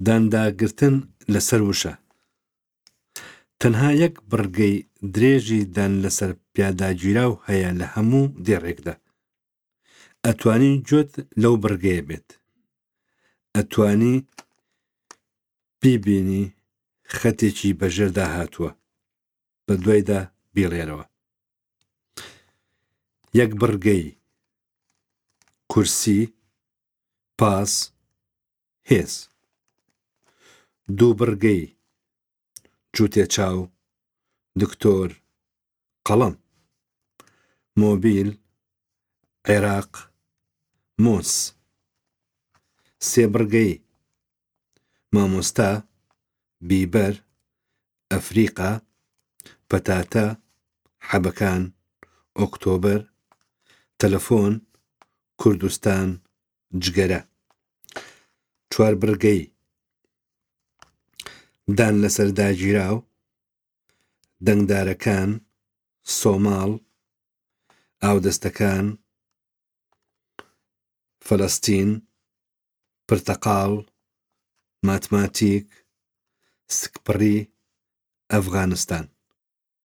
دانداگرتن لەسەر وشە. تەنها یەک بڕگەی درێژی دان لەسەر پیاداگیراو هەیە لە هەموو دێڕێکدا. ئەتوانی گوێت لەو بڕگەیە بێت. ئەتوانی بیبینی خەتێکی بەژێردا هاتووە. بە دوایدا بیڵێرەوە. یەک بڕگەی کورسی، پاس، هێز. دووبڕگەی، جووتێ چاو، دکتۆر، قەڵەم. مۆبیل، عێراق، مۆز. سێبڕگەی، مامۆستا، بیبەر، ئەفریقا، پەتاتە، حەبەکان، ئۆکتۆبەر، تەلەفۆن، کوردستان، جگەرە. چواربڕگەی، دان لەسەر داگیراو، دەنگدارەکان، سۆماڵ، ئاودەستەکان، فەلەستین، پرتەقاڵ، ماتماتیک، سکپڕی، ئەفغانستان.